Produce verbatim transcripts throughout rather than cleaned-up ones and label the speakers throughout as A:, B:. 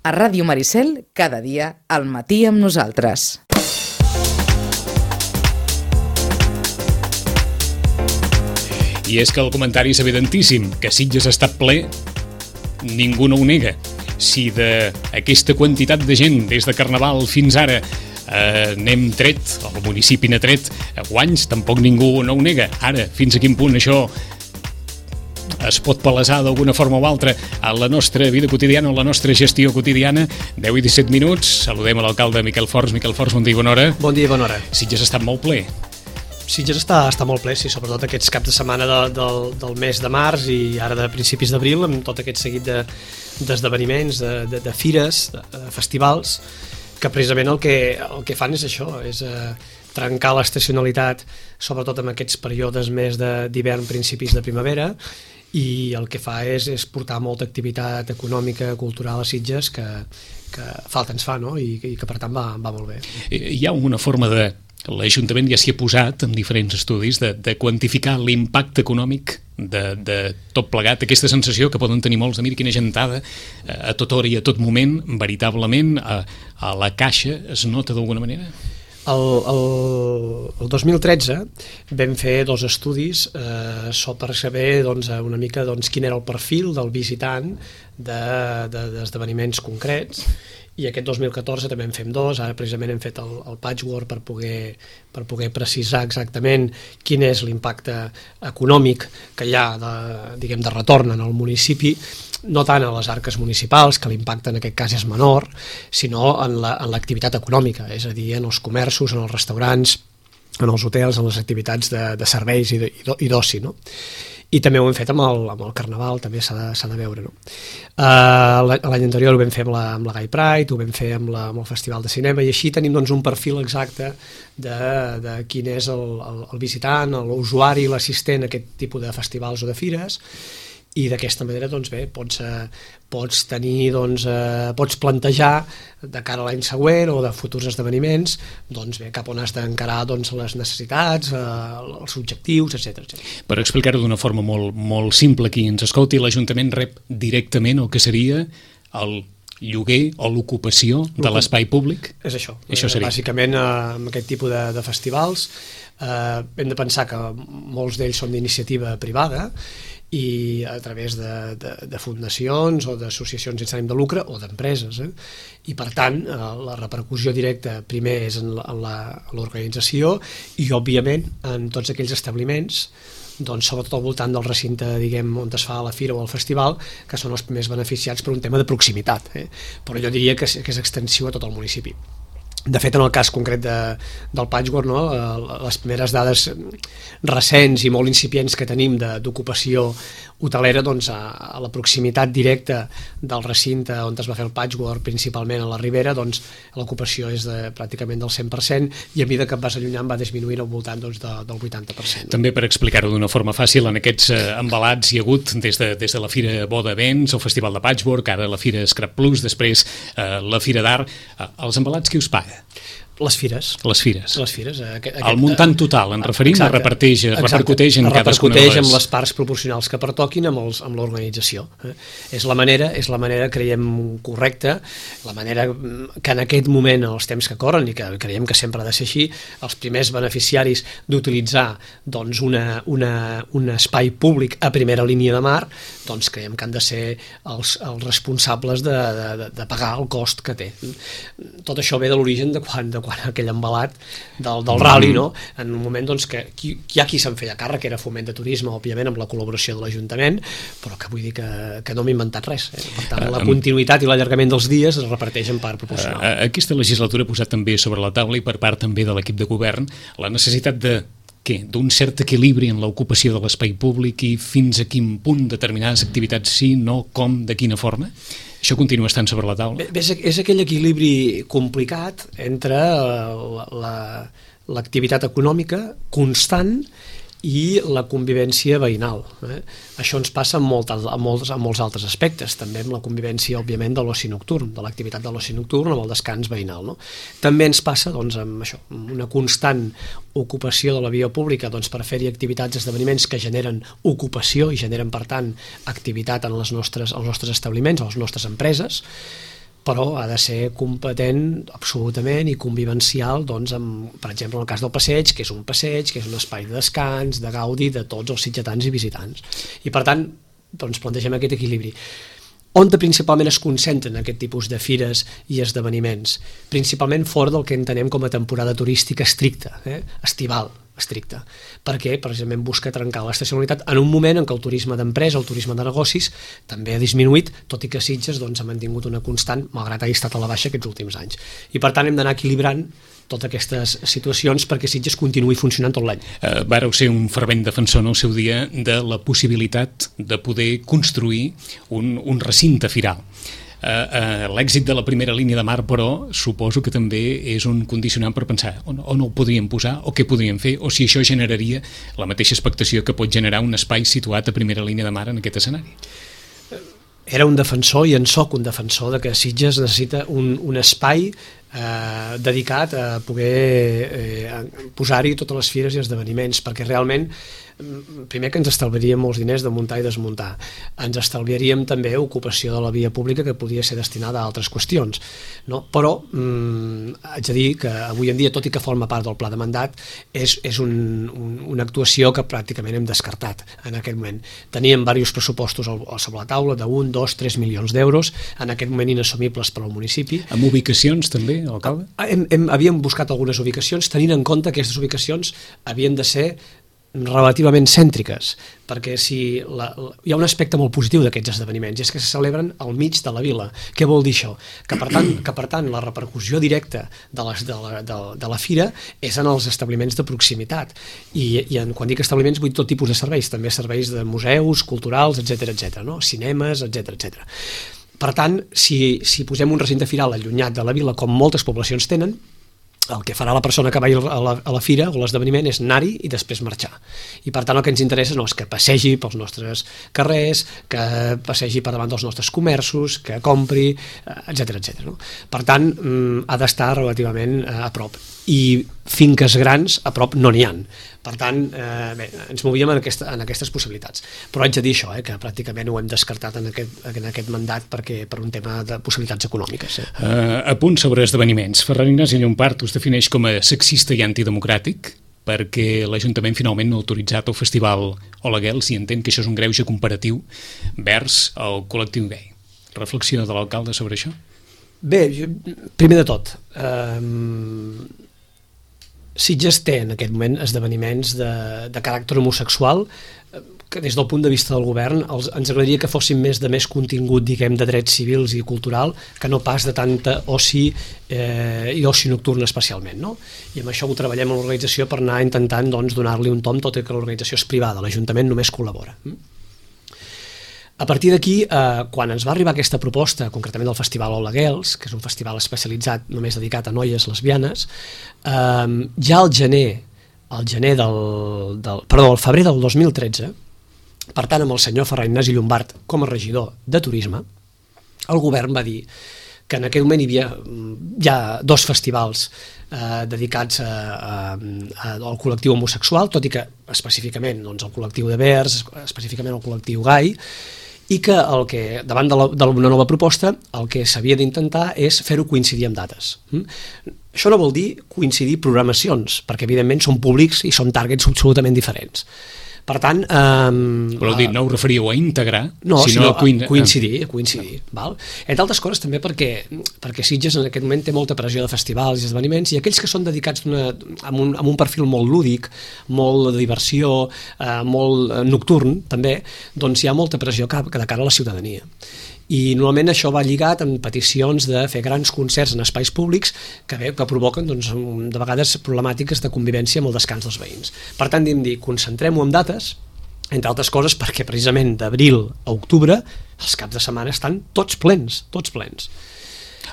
A: A Ràdio Maricel, cada dia, al matí amb nosaltres.
B: I és que el comentari és evidentíssim, que Sitges ha estat ple, ningú no ho nega. Si d'aquesta quantitat de gent, des de Carnaval fins ara, eh, n'hem tret, el municipi n'ha tret guanys, tampoc ningú no ho nega. Ara, fins a quin punt això es pot palesar d'alguna forma o altra a la nostra vida quotidiana, a la nostra gestió quotidiana. Deu i disset minuts, saludem a l'alcalde Miquel Forns. Miquel Forns, bon dia i bona hora.
C: Bon dia i bona hora.
B: Sitges ha estat molt ple.
C: Sitges està, està molt ple, sí, sobretot aquests caps de setmana de, del, del mes de març i ara de principis d'abril, amb tot aquest seguit de, d'esdeveniments, de, de, de fires, de, de festivals, que precisament el que, el que fan és això, és eh, trencar l'estacionalitat, sobretot en aquests períodes més d'hivern, principis de primavera, i el que fa és, és portar molta activitat econòmica, cultural a Sitges que, que falta ens fa, no? I, i que per tant va, va molt bé.
B: Hi ha una forma de... L'Ajuntament ja s'hi ha posat en diferents estudis de, de quantificar l'impacte econòmic de, de tot plegat, aquesta sensació que poden tenir molts de mira quina gentada a tota hora i a tot moment, veritablement a, a la caixa es nota d'alguna manera?
C: El, el, el dos mil tretze vam fer dos estudis eh, per saber doncs, una mica doncs, quin era el perfil del visitant de, de, d'esdeveniments concrets, i aquest dos mil catorze també en fem dos. Ara precisament hem fet el, el patchwork per poder, per poder precisar exactament quin és l'impacte econòmic que hi ha de, diguem, de retorn en el municipi, no tant a les arques municipals, que l'impacte en aquest cas és menor, sinó en la, en l'activitat econòmica, és a dir, en els comerços, en els restaurants, en els hotels, en les activitats de, de serveis i, de, i d'oci, no? I també ho hem fet amb el, amb el Carnaval, també s'ha de, s'ha de veure, no? Uh, l'any anterior ho vam fer amb la, amb la Gay Pride, ho vam fer amb, la, amb el Festival de Cinema, i així tenim doncs, un perfil exacte de, de quin és el, el, el visitant, l'usuari, l'assistent a aquest tipus de festivals o de fires, i d'aquesta manera doncs bé, pots, eh, pots tenir doncs, eh, pots plantejar de cara a l'any següent o de futurs esdeveniments doncs bé, cap on has d'encarar doncs, les necessitats, eh, els objectius, etcètera, etcètera.
B: Per explicar-ho d'una forma molt, molt simple, qui ens escolti, l'Ajuntament rep directament el que seria el lloguer o l'ocupació de l'espai públic?
C: És això.
B: Això seria.
C: Bàsicament, eh, amb aquest tipus de, de festivals eh, hem de pensar que molts d'ells són d'iniciativa privada i a través de, de, de fundacions o d'associacions sense ànim de lucre o d'empreses, eh? I per tant eh, la repercussió directa primer és en, la, en, la, en l'organització i òbviament en tots aquells establiments, doncs, sobretot al voltant del recinte, diguem, on es fa la fira o el festival, que són els primers beneficiats per un tema de proximitat, eh? Però jo diria que, que és extensiu a tot el municipi. De fet, en el cas concret de, del patchwork, no, les primeres dades recents i molt incipients que tenim de, d'ocupació hotelera, doncs, a, a la proximitat directa del recinte on es va fer el patchwork, principalment a la Ribera, doncs, l'ocupació és de, pràcticament del cent per cent, i a mesura que et vas allunyant va disminuint al voltant doncs, de, del vuitanta per cent.
B: També per explicar-ho d'una forma fàcil, en aquests eh, embalats hi ha hagut des de, des de la Fira Boda Events, el Festival de Patchwork, ara la Fira Scrap Plus, després eh, la Fira d'Art. Eh, els embalats qui us paga?
C: Les fires.
B: Les fires.
C: Les fires. Aquest,
B: el muntant total, en referim, exacte, reparteix, repercuteix en cadascuna de les...
C: Repercuteix amb les parts proporcionals que pertoquin amb, els, amb l'organització. Eh? És la manera, és la manera, creiem, correcta, la manera que en aquest moment, els temps que corren, i que creiem que sempre ha de ser així, els primers beneficiaris d'utilitzar doncs, una, una, un espai públic a primera línia de mar, doncs creiem que han de ser els, els responsables de, de, de pagar el cost que té. Tot això ve de l'origen de quan, de quan aquell embalat del, del rally, no? En un moment doncs, que qui, hi ha qui se'n feia càrrec, que era Foment de Turisme, òbviament amb la col·laboració de l'Ajuntament, però que vull dir que, que no m'he inventat res. Eh? Per tant, la continuïtat i l'allargament dels dies es reparteix en part proporcional.
B: Aquesta legislatura ha posat també sobre la taula, i per part també de l'equip de govern, la necessitat de què? D'un cert equilibri en l'ocupació de l'espai públic i fins a quin punt determinades activitats sí, no, com, de quina forma? Això continua estant sobre la taula?
C: Bé, és, és aquell equilibri complicat entre la, la, l'activitat econòmica constant i la convivència veïnal. Eh? Això ens passa en, molt, en, molts, en molts altres aspectes, també amb la convivència, òbviament, de l'oci nocturn, de l'activitat de l'oci nocturn amb el descans veïnal. No? També ens passa doncs, amb això, una constant ocupació de la via pública doncs, per fer-hi activitats, esdeveniments que generen ocupació i generen, per tant, activitat en les nostres, els nostres establiments, a les nostres empreses. però ha de ser competent absolutament i convivencial, doncs, amb, per exemple, en el cas del passeig, que és un passeig, que és un espai de descans, de gaudi de tots els sitgetans i visitants. I per tant, doncs, plantegem aquest equilibri. On principalment es concentren aquest tipus de fires i esdeveniments? Principalment fora del que entenem com a temporada turística estricta, eh? estival estricta, perquè precisament busca trencar l'estacionalitat en un moment en què el turisme d'empresa, el turisme de negocis, també ha disminuït, tot i que Sitges doncs, ha mantingut una constant, malgrat hagi estat a la baixa aquests últims anys. I per tant hem d'anar equilibrant totes aquestes situacions perquè Sitges continuï funcionant tot l'any.
B: Uh, vàreu ser un fervent defensor en el seu dia de la possibilitat de poder construir un, un recinte firal. Uh, uh, l'èxit de la primera línia de mar, però, suposo que també és un condicionant per pensar on, on el podríem posar, o què podríem fer, o si això generaria la mateixa expectació que pot generar un espai situat a primera línia de mar en aquest escenari.
C: Era un defensor i en soc un defensor de que Sitges necessita un, un espai eh, dedicat a poder eh, posar-hi totes les fires i esdeveniments, perquè realment primer que ens estalviaríem molts diners de muntar i desmuntar, ens estalviaríem també ocupació de la via pública que podia ser destinada a altres qüestions, no? Però mm, haig de dir que avui en dia, tot i que forma part del pla de mandat, és, és un, un, una actuació que pràcticament hem descartat en aquest moment. Teníem diversos pressupostos al, al sobre la taula d'un, dos, tres milions d'euros, en aquest moment inassumibles per al municipi.
B: Amb ubicacions també, alcalde?
C: Hem, hem, havíem buscat algunes ubicacions, tenint en compte que aquestes ubicacions havien de ser relativament cèntriques, perquè si la, la, hi ha un aspecte molt positiu d'aquests esdeveniments, i és que se celebren al mig de la vila. Què vol dir això? Que per tant, que per tant la repercussió directa de, les, de, la, de, de la fira és en els establiments de proximitat, i, i en, quan dic establiments vull tot tipus de serveis, també serveis de museus, culturals, etcètera, etcètera, no? Cinemes, etcètera, etcètera. Per tant, si, si posem un recinte firal allunyat de la vila, com moltes poblacions tenen, el que farà la persona que vagi a la, a la fira o l'esdeveniment és anar-hi i després marxar. I per tant el que ens interessa no és que passegi pels nostres carrers, que passegi per davant dels nostres comerços, que compri, etcètera, etcètera. No? Per tant, ha d'estar relativament a prop. I finques grans a prop no n'hi ha. Per tant, eh, bé, ens movíem en, aquesta, en aquestes possibilitats. Però haig de dir això, eh, que pràcticament ho hem descartat en aquest, en aquest mandat perquè per un tema de possibilitats econòmiques. Eh.
B: Uh, a punt sobre esdeveniments, Ferran Ignasi Llompart us defineix com a sexista i antidemocràtic perquè l'Ajuntament finalment no ha autoritzat el festival Oleguels i entén que això és un greuge comparatiu vers el col·lectiu gai. Reflexió de l'alcalde sobre això?
C: Bé, primer de tot, eh, Sitges té en aquest moment esdeveniments de, de caràcter homosexual que des del punt de vista del govern els, ens agradaria que fossin més de més contingut, diguem, de drets civils i cultural que no pas de tanta oci eh, i oci nocturn especialment, no? I amb això ho treballem a l'organització per anar intentant doncs, donar-li un tom, tot i que l'organització és privada, l'Ajuntament només col·labora. A partir d'aquí, eh, quan ens va arribar aquesta proposta, concretament del Festival Oleguels, que és un festival especialitzat només dedicat a noies lesbianes, eh, ja al gener, al gener del, del, perdó, al febrer del dos mil tretze, per tant amb el senyor Ferran Ignasi Llompart com a regidor de turisme, el govern va dir que en aquell moment hi havia ja dos festivals eh, dedicats a, a, a, al col·lectiu homosexual, tot i que específicament doncs, el col·lectiu de vers, específicament el col·lectiu gai, i que, el que davant d'una nova proposta el que s'havia d'intentar és fer-ho coincidir amb dates. Això no vol dir coincidir programacions, perquè evidentment són públics i són targets absolutament diferents. Per tant... Eh,
B: Voleu dir, no ho referíeu a integrar,
C: no,
B: sinó, sinó a, coin...
C: a coincidir, a coincidir. Val? Entre altres coses també perquè, perquè Sitges en aquest moment té molta pressió de festivals i esdeveniments i aquells que són dedicats una, amb, un, amb un perfil molt lúdic, molt de diversió, eh, molt nocturn també, doncs hi ha molta pressió cap de cara a la ciutadania. I normalment això va lligat amb peticions de fer grans concerts en espais públics que, bé, que provoquen doncs, de vegades problemàtiques de convivència amb el descans dels veïns. Per tant, hem dit, concentrem-ho en dates, entre altres coses perquè precisament d'abril a octubre els caps de setmana estan tots plens, tots plens.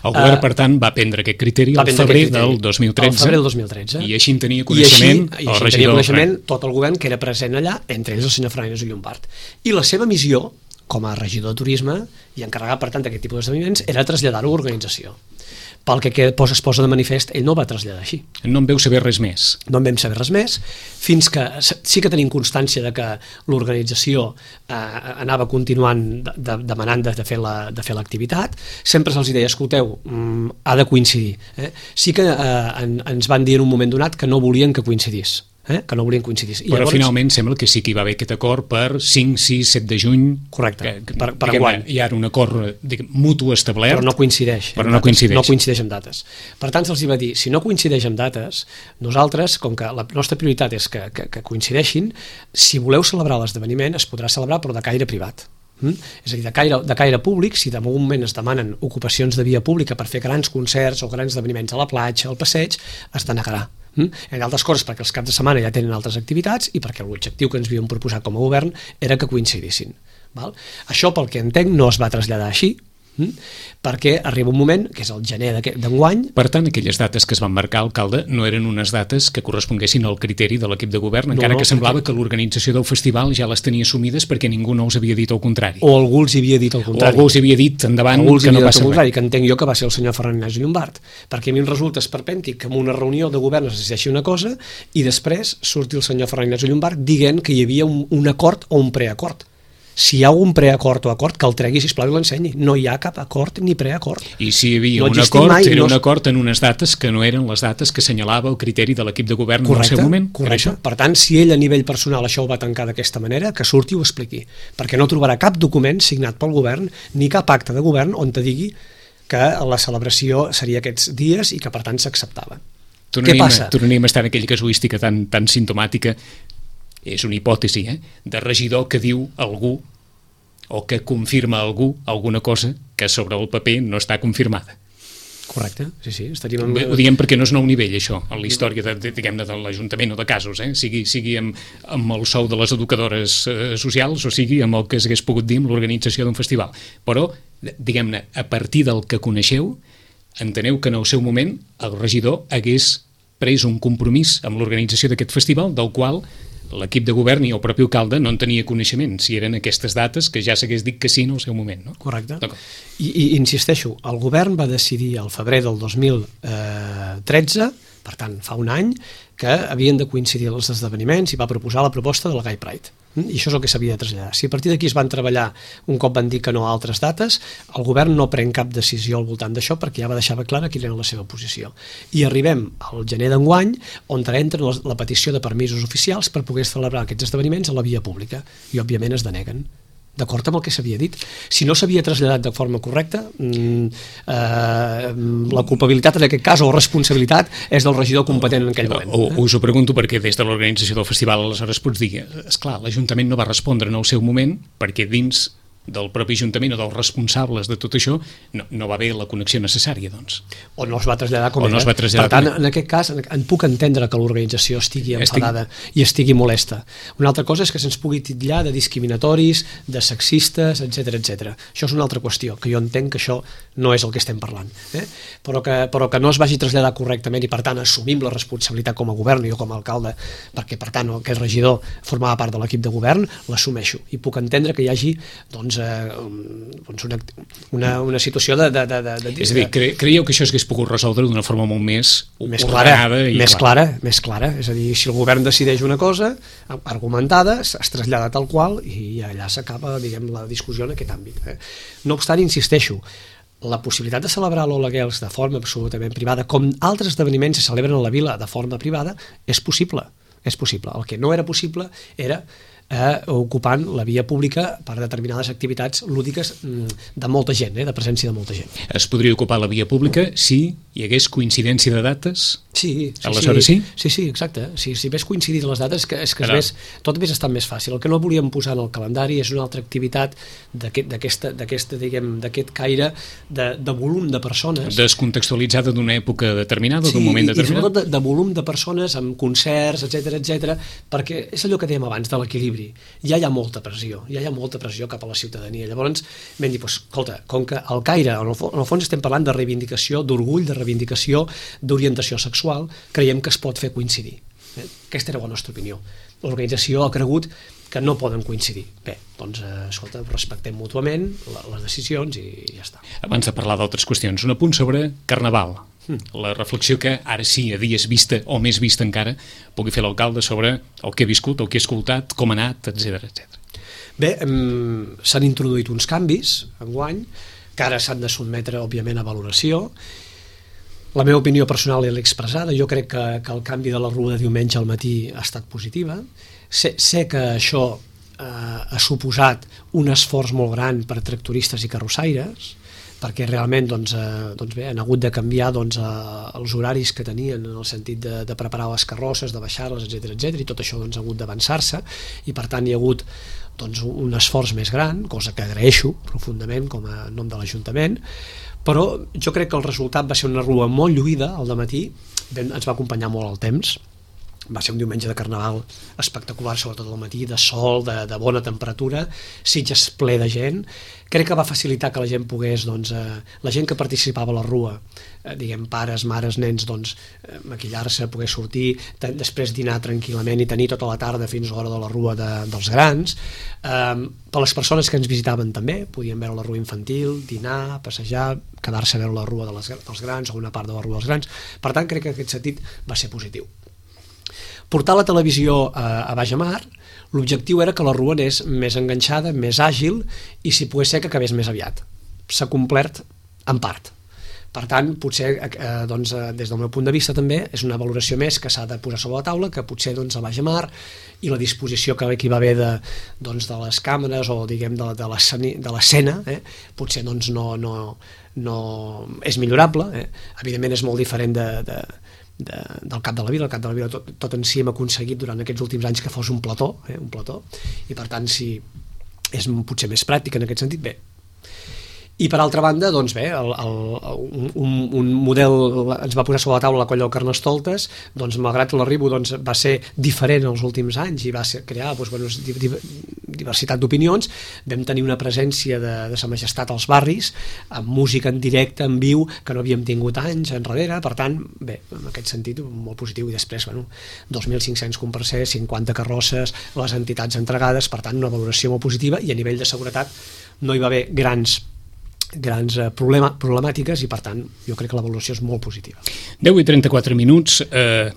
B: El govern, per tant, va prendre aquest criteri al febrer del dos mil tretze,
C: febrer del dos mil tretze
B: i així en tenia coneixement
C: I així, i així tenia coneixement tot el govern que era present allà, entre ells el senyor Ferran Ignasi Llompart. I la seva missió com a regidor de turisme i encarregat per tant d'aquest tipus d'esdeveniments era traslladar-ho a l'organització. pel que es posa de manifest, ell no ho va traslladar així.
B: No en veu saber res més.
C: No en vam saber res més, fins que sí que tenim constància de que l'organització eh, anava continuant de, de, demanant de, de fer la, de fer l'activitat. Sempre se'ls deia, escolteu, mm, ha de coincidir. Eh? Sí que eh, en, ens van dir en un moment donat que no volien que coincidís. Eh? que no volien coincidir. I
B: Però
C: llavors,
B: finalment sembla que sí que hi va haver aquest acord per cinc, sis, set de juny.
C: Correcte,
B: que,
C: per, per
B: diguem,
C: enguany.
B: Hi ha un acord diguem, mutu establert.
C: Però no coincideix.
B: Però no coincideix.
C: No coincideix amb dates. Per tant, se'ls va dir, si no coincideix amb dates, nosaltres, com que la nostra prioritat és que, que, que coincideixin, si voleu celebrar l'esdeveniment, es podrà celebrar però de caire privat. Mm? És a dir, de caire, de caire públic, si de moment es demanen ocupacions de via pública per fer grans concerts o grans esdeveniments a la platja, al passeig, es denegarà. Mm? En altres coses perquè els caps de setmana ja tenen altres activitats i perquè l'objectiu que ens havíem proposat com a govern era que coincidissin. Val? Això, pel que entenc, no es va traslladar així, mm? perquè arriba un moment, que és el gener d'enguany.
B: Per tant, aquelles dates que es van marcar, alcalde, no eren unes dates que corresponguessin al criteri de l'equip de govern,
C: no,
B: encara
C: no,
B: que semblava
C: perquè...
B: que l'organització del festival ja les tenia assumides perquè ningú no els havia dit el contrari.
C: O algú els havia dit el contrari.
B: O algú els havia dit endavant
C: que
B: no passa
C: res. Que entenc jo que va ser el senyor Ferran Ignasi Llombart, perquè a mi em resulta esperpèntic que en una reunió de govern es decideixi una cosa i després surti el senyor Ferran Ignasi Llombart dient que hi havia un, un acord o un preacord. Si hi ha un preacord o acord, que el tregui, sisplau, i l'ensenyi. No hi ha cap acord ni preacord.
B: I si hi havia
C: no
B: un acord,
C: mai,
B: era
C: no...
B: un acord en unes dates que no eren les dates que assenyalava el criteri de l'equip de govern
C: correcte,
B: en el seu moment.
C: Correcte. Per tant, si ell a nivell personal això ho va tancar d'aquesta manera, que surti i ho expliqui. Perquè no trobarà cap document signat pel govern ni cap acte de govern on te digui que la celebració seria aquests dies i que per tant s'acceptava. Què passa?
B: Tornaríem a estar en aquella casuística tan, tan sintomàtica, és una hipòtesi, eh? de regidor que diu algú o que confirma algú alguna cosa que sobre el paper no està confirmada.
C: Correcte, sí, sí. Estaríem amb...
B: Ho diem perquè no és nou nivell, això, en la història de, de, diguem-ne, de l'Ajuntament o de casos, eh? sigui, sigui amb, amb el sou de les educadores eh, socials o sigui amb el que s'hagués pogut dir amb l'organització d'un festival. Però, diguem-ne, a partir del que coneixeu, enteneu que en el seu moment el regidor hagués pres un compromís amb l'organització d'aquest festival, del qual l'equip de govern i el propi alcalde no en tenia coneixement, si eren aquestes dates que ja s'hagués dit que sí en el seu moment. No?
C: Correcte. I, I insisteixo, el govern va decidir al febrer del dos mil tretze, per tant fa un any, que havien de coincidir els esdeveniments i va proposar la proposta de la Gay Pride. I això és el que s'havia de traslladar. Si a partir d'aquí es van treballar, un cop van dir que no a altres dates, el govern no pren cap decisió al voltant d'això perquè ja va deixar clara quina era la seva posició. I arribem al gener d'enguany, on entra la petició de permisos oficials per poder celebrar aquests esdeveniments a la via pública. I, òbviament, es deneguen. D'acord amb el que s'havia dit. Si no s'havia traslladat de forma correcta, eh, la culpabilitat en aquest cas, o responsabilitat, és del regidor competent en aquell moment.
B: O, us ho pregunto perquè des de l'organització del festival aleshores pots dir, esclar, l'Ajuntament no va respondre en el seu moment perquè dins del propi Ajuntament o dels responsables de tot això no, no va haver la connexió necessària, doncs.
C: O no es va traslladar com
B: o no
C: era.
B: Es va traslladar
C: per tant, en aquest cas, en puc entendre que l'organització estigui enfadada Estic... i estigui molesta. Una altra cosa és que se'ns pugui titllar de discriminatoris, de sexistes, etcètera, etcètera. Això és una altra qüestió, que jo entenc que això no és el que estem parlant. Eh? Però, que, però que no es vagi traslladar correctament i, per tant, assumim la responsabilitat com a govern i jo com a alcalde, perquè, per tant, aquest regidor formava part de l'equip de govern, l'assumeixo. I puc entendre que hi hagi, doncs, doncs una, una, una situació de, de, de, de...
B: És a dir, cre creieu que això s'hagués pogut resoldre d'una forma molt més,
C: més clara, i més clara. clara, més clara. És a dir, si el govern decideix una cosa argumentada, es trasllada tal qual i allà s'acaba, diguem, la discussió en aquest àmbit. Eh? No obstant, insisteixo, la possibilitat de celebrar l'Ola Girls de forma absolutament privada, com altres esdeveniments se celebren a la vila de forma privada, és possible. És possible. El que no era possible era Eh, ocupant la via pública per determinades activitats lúdiques de molta gent, eh, de presència de molta gent.
B: Es podria ocupar la via pública si hi hagués coincidència de dates?
C: Sí, sí,
B: aleshores sí?
C: Sí, sí, exacte. Si, si ves coincidir les dates, que, és que es ves, tot hagués estat més fàcil. El que no volíem posar en el calendari és una altra activitat d'aquest caire de, de volum de persones.
B: Descontextualitzada d'una època determinada, sí, d'un moment determinat.
C: I sobretot de, de volum de persones amb concerts, etcètera, etcètera, perquè és allò que dèiem abans de l'equilibri. Ja hi ha molta pressió, ja hi ha molta pressió cap a la ciutadania. Llavors vam dir, doncs, escolta, com que el caire, en el, en el fons estem parlant de reivindicació, d'orgull, de reivindicació, d'orientació sexual, creiem que es pot fer coincidir. Eh? Aquesta era la nostra opinió. L'organització ha cregut que no poden coincidir. Bé, doncs, eh, escolta, respectem mútuament les decisions i ja està.
B: Abans de parlar d'altres qüestions, un apunt sobre Carnaval. Mm. La reflexió que ara sí, a dies vista o més vista encara, pugui fer l'alcalde sobre el que he viscut, el que he escoltat, com ha anat, etcètera, etcètera.
C: Bé, um, s'han introduït uns canvis enguany, que ara s'han de sotmetre, òbviament, a valoració. La meva opinió personal l'he expressada. Jo crec que, que el canvi de la rua de diumenge al matí ha estat positiva. Sé, sé que això eh, ha suposat un esforç molt gran per a tractoristes i carrossaires, perquè realment doncs, eh, doncs bé, han hagut de canviar doncs, eh, els horaris que tenien en el sentit de, de preparar les carrosses, de baixar-les, etcètera, etcètera, i tot això doncs, ha hagut d'avançar-se, i per tant hi ha hagut doncs, un esforç més gran, cosa que agraeixo profundament com a nom de l'Ajuntament, però jo crec que el resultat va ser una rua molt lluïda al dematí, ens va acompanyar molt el temps, va ser un diumenge de Carnaval espectacular, sobretot al matí, de sol, de, de bona temperatura, Sitges ple de gent. Crec que va facilitar que la gent pogués, doncs, eh, la gent que participava a la rua, eh, diguem, pares, mares, nens, doncs, eh, maquillar-se, poder sortir, després dinar tranquil·lament i tenir tota la tarda fins a l'hora de la rua de, dels grans. Eh, per les persones que ens visitaven també, podien veure la rua infantil, dinar, passejar, quedar-se a veure la rua de les, dels grans o una part de la rua dels grans. Per tant, crec que en aquest sentit va ser positiu. Portar la televisió a, a Bajamar, l'objectiu era que la rua anés més enganxada, més àgil, i si pogués ser que acabés més aviat. S'ha complert en part. Per tant, potser, eh, doncs, des del meu punt de vista també, és una valoració més que s'ha de posar sobre la taula, que potser doncs, a Bajamar i la disposició que aquí va haver de, doncs, de les càmeres o diguem de, de l'escena, eh, potser doncs, no, no, no és millorable. Eh. Evidentment és molt diferent de... de De, del Cap de la Vila. El Cap de la Vila tot, tot en si hem aconseguit durant aquests últims anys que fos un plató, eh, un plató, i per tant si és potser més pràctic en aquest sentit, bé. I per altra banda, doncs bé, el, el, un, un model ens va posar sobre la taula la colla del Carnestoltes, doncs malgrat l'arribo doncs, va ser diferent els últims anys i va ser, crear doncs, bueno, diversitat d'opinions, vam tenir una presència de, de Sa Majestat als barris, amb música en directe, en viu, que no havíem tingut anys enrere, per tant, bé, en aquest sentit molt positiu, i després, bueno, dos mil cinc-cents comparsers, cinquanta carrosses, les entitats entregades, per tant, una valoració molt positiva, i a nivell de seguretat no hi va haver grans grans problema, problemàtiques i per tant jo crec que la valoració és molt positiva.
B: deu i trenta-quatre minuts. eh,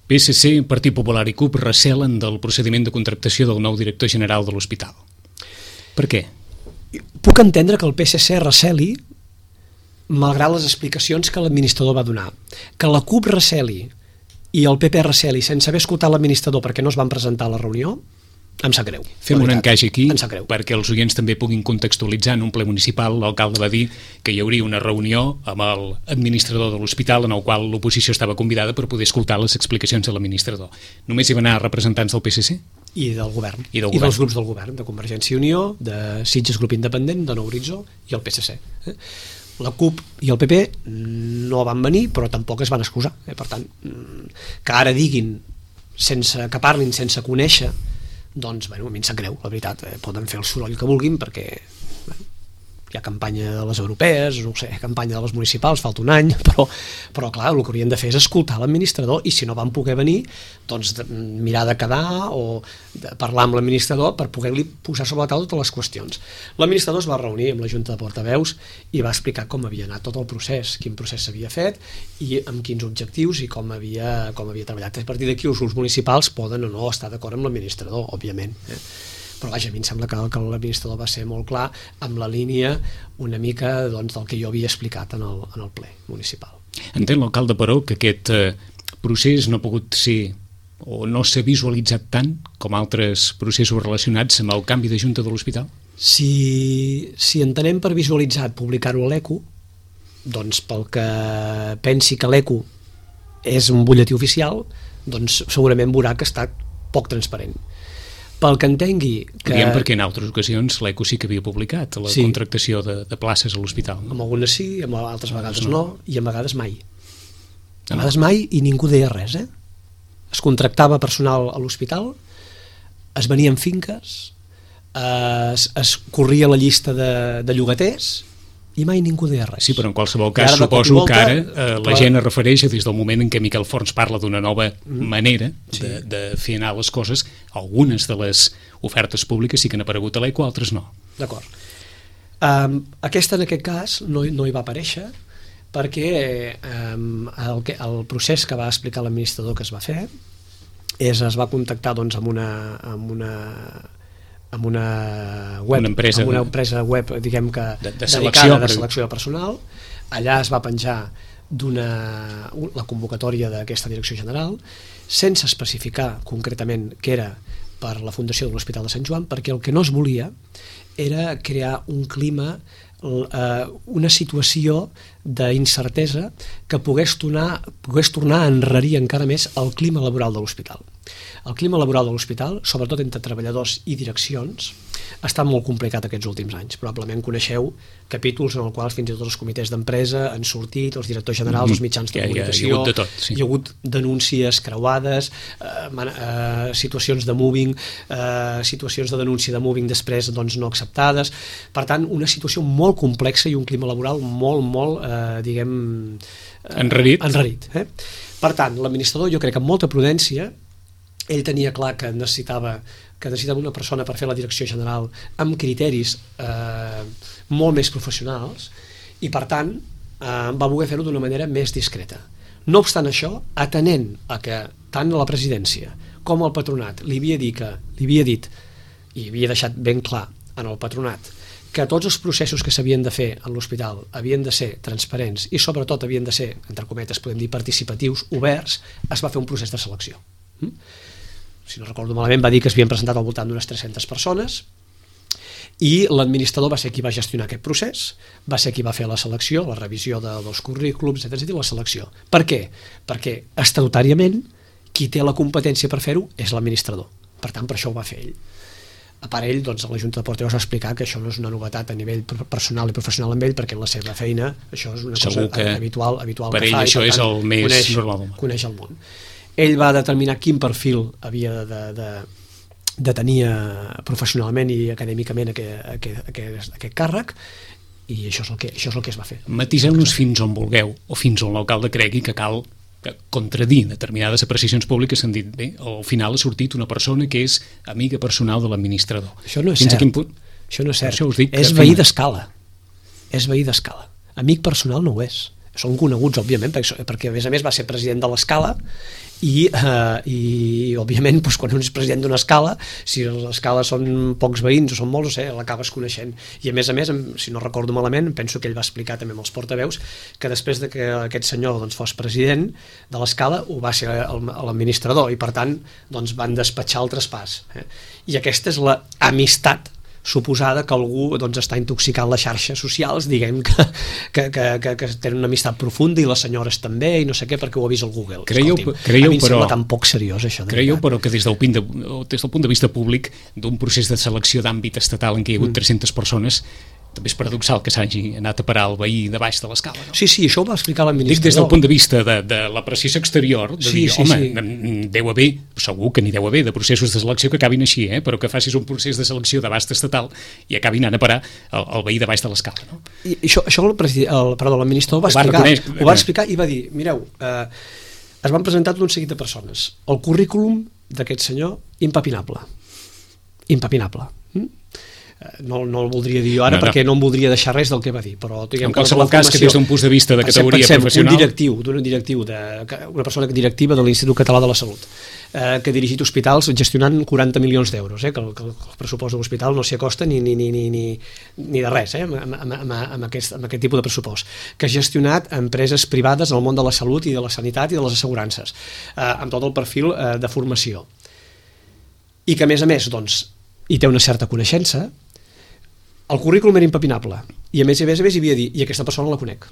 B: P S C, Partit Popular i C U P recelen del procediment de contractació del nou director general de l'hospital. Per què?
C: Puc entendre que el P S C receli malgrat les explicacions que l'administrador va donar. Que la C U P receli i el P P receli sense haver escoltat l'administrador perquè no es van presentar a la reunió, em sap greu.
B: Fem un encaix aquí perquè els oients també puguin contextualitzar. En un ple municipal l'alcalde va dir que hi hauria una reunió amb l'administrador de l'hospital en el qual l'oposició estava convidada per poder escoltar les explicacions de l'administrador. Només hi van anar representants del P S C?
C: I del govern.
B: I, del
C: I
B: govern.
C: dels grups del govern, de Convergència i Unió, de Sitges Grup Independent, de Nou Horitzó i el P S C. La C U P i el P P no van venir, però tampoc es van excusar. Per tant, que ara diguin, sense que parlin sense conèixer, doncs, bueno, a mi em sap greu, la veritat. Eh, poden fer el soroll que vulguin perquè bueno, hi ha campanya de les europees, no sé, campanya de les municipals, falta un any, però, però clar, el que haurien de fer és escoltar l'administrador i si no van poder venir, doncs de, mirar de quedar o de parlar amb l'administrador per poder-li posar sobre la taula totes les qüestions. L'administrador es va reunir amb la Junta de Portaveus i va explicar com havia anat tot el procés, quin procés s'havia fet i amb quins objectius i com havia, com havia treballat. A partir d'aquí els grups municipals poden o no estar d'acord amb l'administrador, òbviament, eh? Però vaja, a mi em sembla que, que l'administrador va ser molt clar amb la línia una mica doncs, del que jo havia explicat en el, en el ple municipal.
B: Entén l'alcalde, però, que aquest eh, procés no ha pogut ser o no s'ha visualitzat tant com altres processos relacionats amb el canvi de junta de l'hospital?
C: Si, si entenem per visualitzat publicar-ho a l'Eco, doncs pel que pensi que l'Eco és un butlletí oficial, doncs segurament veurà que ha estat poc transparent. Pel que entengui que...
B: Diem perquè en altres ocasions l'Eco sí que havia publicat la sí. contractació de, de places a l'hospital. No?
C: Amb algunes sí, amb altres vegades no, no i a vegades mai. A vegades mai i ningú deia res, eh? Es contractava personal a l'hospital, es venien finques, es, es corria la llista de, de llogaters i mai ningú deia res.
B: Sí, però en qualsevol cas suposo volta, que ara eh, la però... gent es refereix des del moment en què Miquel Forns parla d'una nova mm. manera sí. de, de fer anar les coses. Algunes de les ofertes públiques sí que han aparegut a l'E Q U, altres no.
C: D'acord. Um, aquesta en aquest cas no, no hi va aparèixer perquè um, el, que, el procés que va explicar l'administrador que es va fer és es va contactar doncs, amb una... Amb una amb una web,
B: una empresa,
C: amb una empresa web diguem que
B: de, de selecció,
C: dedicada de selecció de personal. Allà es va penjar d'una, la convocatòria d'aquesta direcció general sense especificar concretament que era per la Fundació de l'Hospital de Sant Joan, perquè el que no es volia era crear un clima, una situació d'incertesa que pogués tornar, pogués tornar a enrarir encara més el clima laboral de l'hospital. El clima laboral de l'hospital, sobretot entre treballadors i direccions, ha estat molt complicat aquests últims anys. Probablement coneixeu capítols en els quals fins i tot els comitès d'empresa han sortit, els directors generals, els mitjans de comunicació,
B: hi ha, hi ha hagut de tot, sí.
C: Hi ha hagut denúncies creuades, eh, eh, situacions de moving, eh, situacions de denúncia de moving després doncs, no acceptades. Per tant, una situació molt complexa i un clima laboral molt, molt, eh, diguem...
B: Eh, enrarit.
C: enrarit eh? Per tant, l'administrador, jo crec que amb molta prudència, ell tenia clar que necessitava que necessitava una persona per fer la direcció general amb criteris eh, molt més professionals i per tant eh, va voler fer-ho d'una manera més discreta. No obstant això, atenent a que tant la presidència com el patronat li havia dit, que, li havia dit i havia deixat ben clar en el patronat que tots els processos que s'havien de fer en l'hospital havien de ser transparents i sobretot havien de ser, entre cometes, podem dir participatius, oberts, es va fer un procés de selecció. Mm? Si no recordo malament, va dir que es havien presentat al voltant d'unes tres-centes persones i l'administrador va ser qui va gestionar aquest procés, va ser qui va fer la selecció, la revisió de, dels currículums, etcètera, i la selecció. Per què? Perquè estatutàriament qui té la competència per fer-ho és l'administrador. Per tant, per això ho va fer ell. A part ell, doncs, a la Junta de Portaveus va explicar que això no és una novetat a nivell personal i professional amb ell, perquè en la seva feina això és una
B: Segur
C: cosa habitual, habitual
B: per
C: que
B: ell
C: fa,
B: això
C: i, per
B: és
C: tant,
B: el més
C: coneix,
B: normal.
C: Coneix el món. Ell va determinar quin perfil havia de, de, de tenir professionalment i acadèmicament aquest, aquest, aquest, aquest càrrec i això és el que, això és el que es va fer.
B: Matiseu-nos fins on vulgueu o fins on l'alcalde cregui que cal contradir determinades apreciacions públiques. Han dit, bé, al final ha sortit una persona que és amiga personal de l'administrador.
C: Això no és
B: fins
C: cert.
B: A quin punt?
C: Això no és cert.
B: Això us dic
C: és veí d'escala. És veí d'escala. Amic personal no ho és. Són coneguts, òbviament, perquè, perquè a més a més va ser president de l'Escala i, eh, i òbviament, doncs, quan un és president d'una escala, si l'escala són pocs veïns o són molts, no sé, l'acabes coneixent. I a més a més, si no recordo malament, penso que ell va explicar també amb els portaveus que després de que aquest senyor doncs, fos president de l'Escala ho va ser l'administrador i per tant doncs, van despatxar el traspàs. Eh? I aquesta és l'amistat suposada que algú doncs, està intoxicant les xarxes socials, diguem que, que, que, que, que tenen una amistat profunda i les senyores també i no sé què perquè ho ha vist al Google.
B: Creieu,
C: Escolti'm,
B: creieu,
C: a mi em
B: però,
C: sembla tan poc seriós això.
B: Creieu però que des del, de, des del punt de vista públic d'un procés de selecció d'àmbit estatal en què hi ha hagut mm. tres-centes persones també és paradoxal que s'hagi anat a parar el veí de baix de l'escala, no?
C: Sí, sí, això ho va explicar l'administrador.
B: Dic des del punt de vista de, de l'apreciació exterior, de
C: sí,
B: dir,
C: sí,
B: home,
C: sí.
B: deu haver, segur que n'hi deu haver de processos de selecció que acabin així, eh? Però que facis un procés de selecció d'abast estatal i acabin anant a parar el, el veí de baix de l'escala, no?
C: I això, això el, el, perdó, l'administrador va, va explicar, ho va explicar i va dir, mireu, eh, es van presentar tot un seguit de persones. El currículum d'aquest senyor, impepinable. Impepinable. Mm? No, no el voldria dir jo ara no, no. perquè no em voldria deixar res del que va dir, però diguem,
B: en qualsevol cas que des d'un punt de vista de categoria
C: pensem,
B: professional
C: un directiu, d'un directiu de, una persona directiva de l'Institut Català de la Salut eh, que ha dirigit hospitals gestionant quaranta milions d'euros, eh, que, el, que el pressupost de l'hospital no s'hi acosta ni, ni, ni, ni, ni, ni de res eh, amb, amb, amb, amb, aquest, amb aquest tipus de pressupost, que ha gestionat empreses privades en el món de la salut i de la sanitat i de les assegurances eh, amb tot el perfil eh, de formació i que a més a més doncs, hi té una certa coneixença. El currículum era impepinable i a més a més a més hi havia dit, i aquesta persona la conec.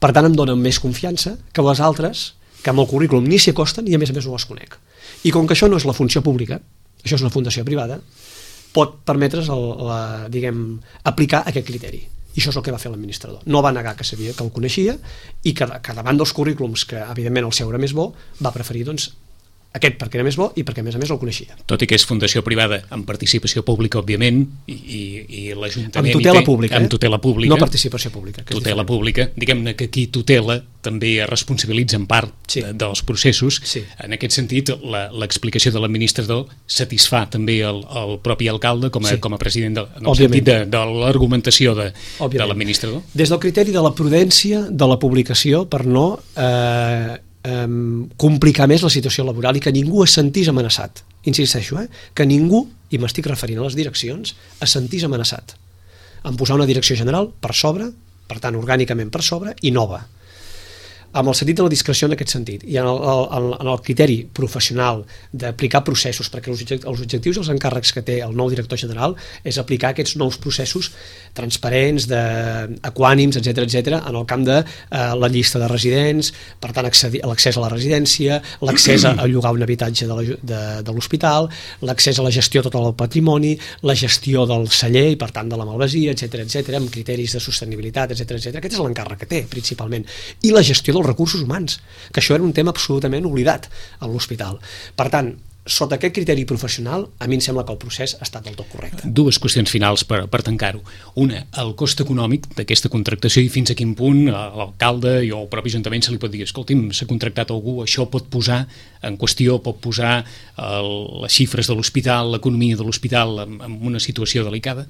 C: Per tant em dona més confiança que les altres que amb el currículum ni s'hi acosten i a més a més no les conec. I com que això no és la funció pública, això és una fundació privada, pot permetre's el, la, diguem, aplicar aquest criteri. I això és el que va fer l'administrador. No va negar que sabia que el coneixia i que, que davant dels currículums, que evidentment el seu era més bo, va preferir doncs, Aquest perquè era més bo i perquè a més a més el coneixia.
B: Tot i que és fundació privada amb participació pública, òbviament, i, i, i l'Ajuntament...
C: Amb tutela
B: té,
C: pública,
B: amb
C: eh?
B: tutela pública.
C: No participació pública. Que
B: tutela pública. Diguem-ne que qui tutela també es responsabilitza en part
C: sí.
B: de, dels processos.
C: Sí.
B: En aquest sentit, l'explicació de l'administrador satisfà també el, el propi alcalde com a, sí. com a president de, en el
C: Òbviament.
B: sentit de, de l'argumentació de, de l'administrador.
C: Des del criteri de la prudència de la publicació per no... Eh, Um, complicar més la situació laboral i que ningú es sentís amenaçat. Insisteixo, eh? que ningú, i m'estic referint a les direccions, es sentís amenaçat en posar una direcció general per sobre, per tant orgànicament per sobre, i nova, amb el sentit de la discreció en aquest sentit, i en el, el, en el criteri professional d'aplicar processos, perquè els objectius i els encàrrecs que té el nou director general és aplicar aquests nous processos transparents, de, equànims, etcètera, etcètera, en el camp de eh, la llista de residents, per tant l'accés a la residència, l'accés a, a llogar un habitatge de l'hospital, l'accés a la gestió total del patrimoni, la gestió del celler i per tant de la malvasia, etcètera, etcètera, amb criteris de sostenibilitat, etcètera, etcètera. Aquest és l'encàrrec que té principalment, i la gestió dels recursos humans, que això era un tema absolutament oblidat a l'hospital. Per tant, sota aquest criteri professional, a mi em sembla que el procés ha estat del tot correcte.
B: Dues qüestions finals per, per tancar-ho. Una, el cost econòmic d'aquesta contractació i fins a quin punt l'alcalde i el propi ajuntament se li pot dir, escolti'm, s'ha contractat algú, això pot posar en qüestió, pot posar el, les xifres de l'hospital, l'economia de l'hospital en, en una situació delicada?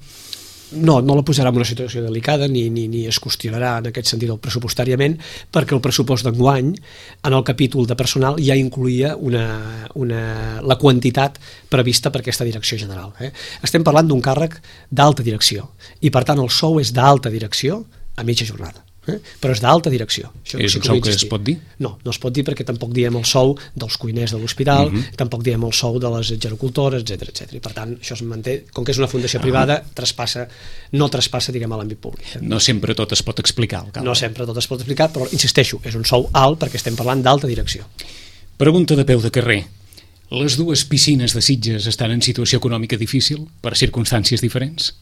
C: No, no la posarà en una situació delicada ni, ni, ni es qüestionarà en aquest sentit pressupostàriament, perquè el pressupost d'enguany en el capítol de personal ja incluïa una, una, la quantitat prevista per aquesta direcció general. Eh? Estem parlant d'un càrrec d'alta direcció i per tant el sou és d'alta direcció a mitja jornada. Eh? Però és d'alta direcció. Això
B: és un sou que es pot dir?
C: No, no es pot dir perquè tampoc diem el sou dels cuiners de l'hospital, uh -huh. tampoc diem el sou de les gerocultores, etcètera, etcètera. I per tant, això es manté, com que és una fundació uh -huh. privada, traspassa, no traspassa, diguem, a l'àmbit públic. Eh?
B: No sempre tot es pot explicar, alcalde.
C: No sempre tot es pot explicar, però insisteixo, és un sou alt perquè estem parlant d'alta direcció.
B: Pregunta de peu de carrer. Les dues piscines de Sitges estan en situació econòmica difícil per circumstàncies diferents?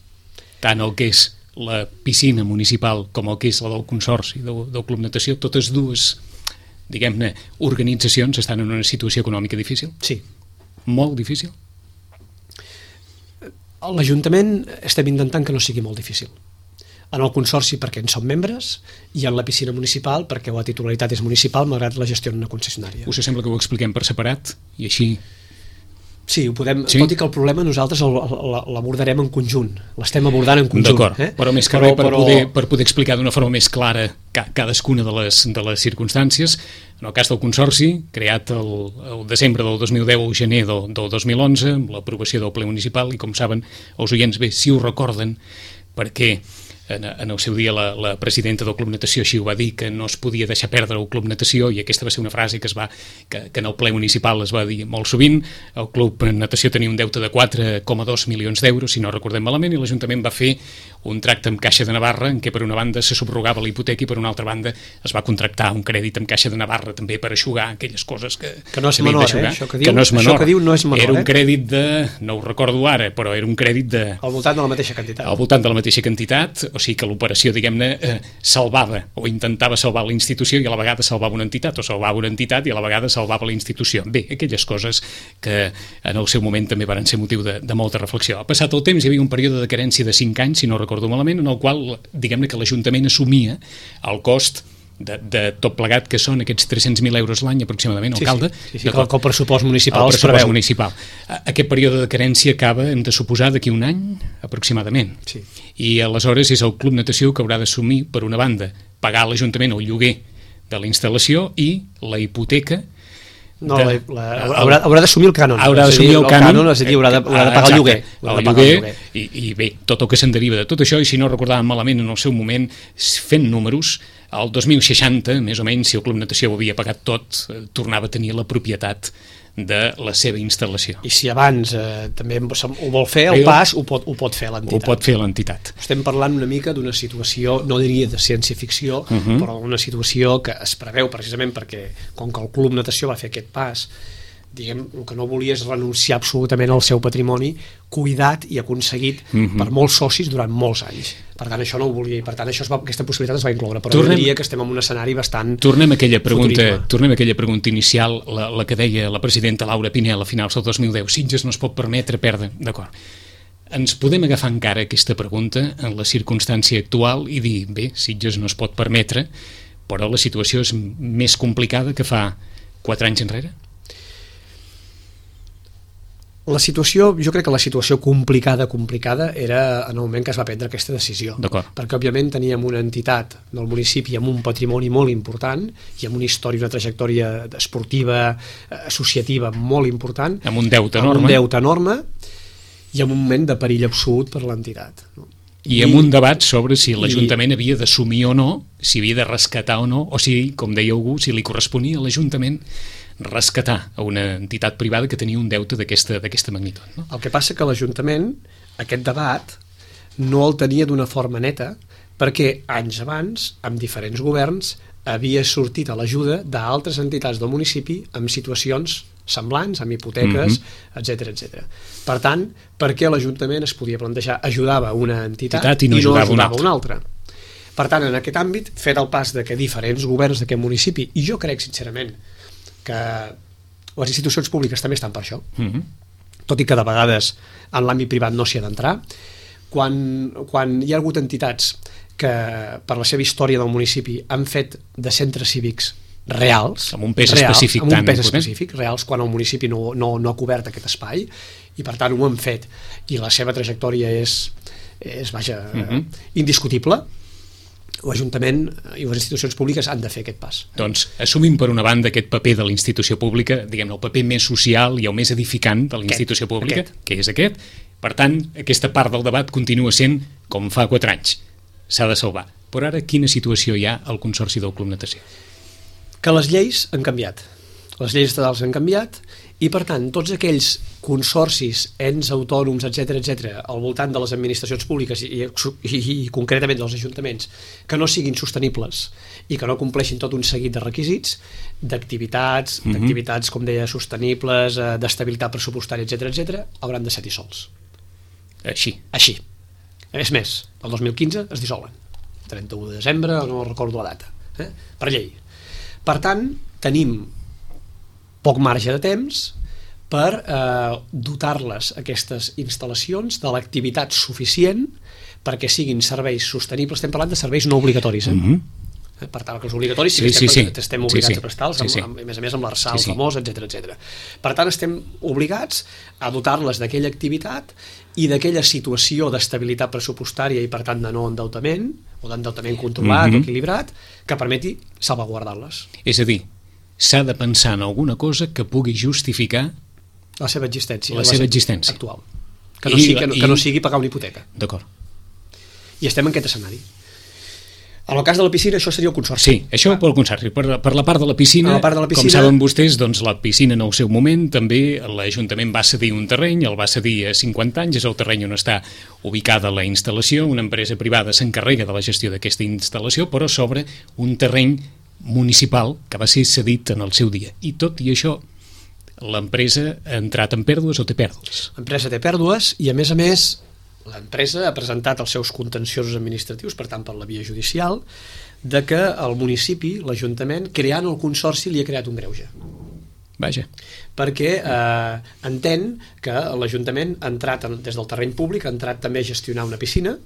B: Tant el que és la piscina municipal com el que és la del Consorci del Club Natació, totes dues, diguem-ne, organitzacions estan en una situació econòmica difícil?
C: Sí.
B: Molt difícil?
C: L'Ajuntament estem intentant que no sigui molt difícil. En el Consorci perquè en som membres i en la piscina municipal perquè la titularitat és municipal malgrat la gestió en una concessionària.
B: Us sembla que ho expliquem per separat i així...
C: Sí, ho podem,
B: sí?
C: tot i que el problema nosaltres l'abordarem en conjunt, l'estem abordant en conjunt.
B: D'acord, eh? però més que però, res per, però... poder, per poder explicar d'una forma més clara cadascuna de les, de les circumstàncies. En el cas del Consorci, creat el, el desembre del dos mil deu o gener del, del dos mil onze, amb l'aprovació del ple municipal, i com saben els oients bé, si ho recorden, perquè en, en el seu dia la, la presidenta del Club Natació així ho va dir, que no es podia deixar perdre el Club Natació, i aquesta va ser una frase que es va que, que en el ple municipal es va dir molt sovint. El Club Natació tenia un deute de quatre coma dos milions d'euros, si no recordem malament, i l'Ajuntament va fer un tracte amb Caixa de Navarra en què per una banda se subrogava la hipoteca i per una altra banda es va contractar un crèdit amb Caixa de Navarra també per eixugar aquelles coses que,
C: que no és menor, eh? Això que diu,
B: que no és menor.
C: Això que diu no és menor.
B: Era un crèdit de, no ho recordo ara, però era un crèdit de...
C: Al voltant de la mateixa quantitat.
B: Al voltant de la mateixa quantitat, o sigui que l'operació, diguem-ne, eh, salvava o intentava salvar la institució i a la vegada salvava una entitat, o salvava una entitat i a la vegada salvava la institució. Bé, aquelles coses que en el seu moment també van ser motiu de, de molta reflexió. Ha passat el temps, hi havia un període de carència de cinc anys, si no recordo malament, en el qual, diguem-ne, que l'Ajuntament assumia el cost de, de tot plegat, que són aquests tres-cents mil euros l'any aproximadament, alcalde.
C: Sí, sí, sí, sí que el pressupost municipal
B: el pressupost municipal. Aquest període de carència acaba, hem de suposar, d'aquí un any aproximadament.
C: Sí.
B: I aleshores és el Club Natació que haurà d'assumir, per una banda, pagar a l'Ajuntament el lloguer de la instal·lació i la hipoteca.
C: No, de, la, la, haurà, haurà d'assumir el cànon.
B: Haurà d'assumir el, el cànon,
C: és a dir, haurà de, haurà de pagar el lloguer.
B: El lloguer, i, i bé, tot el que se'n deriva de tot això, i si no recordàvem malament en el seu moment, fent números, el dos mil seixanta, més o menys, si el Club Natació ho havia pagat tot, eh, tornava a tenir la propietat de la seva instal·lació.
C: I si abans eh, també ho vol fer, el pas ho pot, ho pot fer l'entitat.
B: Ho pot fer l'entitat.
C: Estem parlant una mica d'una situació, no diria de ciència-ficció, uh -huh. però una situació que es preveu precisament perquè, com que el Club Natació va fer aquest pas, diguem, el que no volia és renunciar absolutament al seu patrimoni cuidat i aconseguit mm-hmm. per molts socis durant molts anys. Per tant, això no ho volia i per tant això es va, aquesta possibilitat es va incloure, però tornem, jo diria que estem en un escenari bastant
B: tornem a aquella pregunta, futurisme. Tornem a aquella pregunta inicial, la, la que deia la presidenta Laura Pinel a finals del dos mil deu, Sitges no es pot permetre perdre, d'acord. Ens podem agafar encara aquesta pregunta en la circumstància actual i dir, bé, Sitges no es pot permetre, però la situació és més complicada que fa quatre anys enrere?
C: La situació, jo crec que la situació complicada, complicada, era en el moment que es va prendre aquesta decisió. Perquè, òbviament, teníem una entitat del municipi amb un patrimoni molt important i amb una història, una trajectòria esportiva, associativa molt important.
B: Amb un deute enorme.
C: Amb un deute enorme i amb un moment de perill absolut per l'entitat.
B: I, I amb un debat sobre si l'Ajuntament i... havia d'assumir o no, si havia de rescatar o no, o si, com deia algú, si li corresponia a l'Ajuntament rescatar a una entitat privada que tenia un deute d'aquesta d'aquesta magnitud. No?
C: El que passa que l'Ajuntament, aquest debat, no el tenia d'una forma neta, perquè anys abans, amb diferents governs, havia sortit a l'ajuda d'altres entitats del municipi amb situacions semblants, amb hipoteques, mm-hmm. etcètera, etcètera. Per tant, per què l'Ajuntament es podia plantejar? Ajudava una entitat, entitat i no, i no ajudava, ajudava una altra. Per tant, en aquest àmbit, fet el pas de que diferents governs d'aquest municipi, i jo crec, sincerament, que les institucions públiques també estan per això, mm-hmm. tot i que de vegades en l'àmbit privat no s'hi ha d'entrar, quan, quan hi ha hagut entitats que per la seva història del municipi han fet de centres cívics reals,
B: amb un pes
C: reals,
B: específic,
C: amb un
B: tan
C: pes específic reals, quan el municipi no, no, no ha cobert aquest espai i per tant ho han fet i la seva trajectòria és, és vaja, mm-hmm. indiscutible, l'Ajuntament i les institucions públiques han de fer aquest pas.
B: Doncs assumim per una banda aquest paper de la institució pública, diguem-ne, el paper més social i el més edificant de la institució aquest, pública, aquest. que és aquest. Per tant, aquesta part del debat continua sent com fa quatre anys. S'ha de salvar. Però ara, quina situació hi ha al Consorci del Club Natació?
C: Que les lleis han canviat. Les lleis estatals han canviat i, per tant, tots aquells consorcis, ens autònoms, etcètera, etcètera, al voltant de les administracions públiques i, i, i concretament dels ajuntaments, que no siguin sostenibles i que no compleixin tot un seguit de requisits, d'activitats, mm-hmm. d'activitats, com deia, sostenibles, d'estabilitat pressupostària, etcètera, etcètera, hauran de ser dissolts.
B: Així?
C: Així. És més, el dos mil quinze es dissolen. trenta-u de desembre, no recordo la data, eh? Per llei. Per tant, tenim poc marge de temps per eh, dotar-les, aquestes instal·lacions, de l'activitat suficient perquè siguin serveis sostenibles. Estem parlant de serveis no obligatoris, eh? Mm-hmm. Per tant, que els obligatoris sí, sí, estem, sí. estem obligats sí, sí. a prestar-los, sí, sí. Amb, a més a més amb l'Arsal sí, sí. famós, etcètera, etcètera. Per tant, estem obligats a dotar-les d'aquella activitat i d'aquella situació d'estabilitat pressupostària i, per tant, de no endeutament, o d'endeutament controlat mm-hmm. o equilibrat, que permeti salvaguardar-les.
B: És a dir, s'ha de pensar en alguna cosa que pugui justificar
C: la seva existència,
B: la, la seva existència
C: actual. Que no, I, sigui, que, no, i... que no sigui pagar una hipoteca.
B: D'acord.
C: I estem en aquest escenari. En el cas de la piscina, això seria el consorci.
B: Sí, això pel consorci. Per, per la part de la piscina,
C: la part de la piscina,
B: com saben vostès, doncs la piscina en el seu moment, també l'Ajuntament va cedir un terreny, el va cedir a cinquanta anys, és el terreny on està ubicada la instal·lació, una empresa privada s'encarrega de la gestió d'aquesta instal·lació, però sobre un terreny municipal que va ser cedit en el seu dia. I tot i això, l'empresa ha entrat en pèrdues o té pèrdues?
C: L'empresa té pèrdues i, a més a més, l'empresa ha presentat els seus contenciosos administratius, per tant per la via judicial, de que el municipi, l'Ajuntament, creant el consorci, li ha creat un greuge.
B: Vaja.
C: Perquè eh, entén que l'Ajuntament ha entrat en, des del terreny públic, ha entrat també a gestionar una piscina,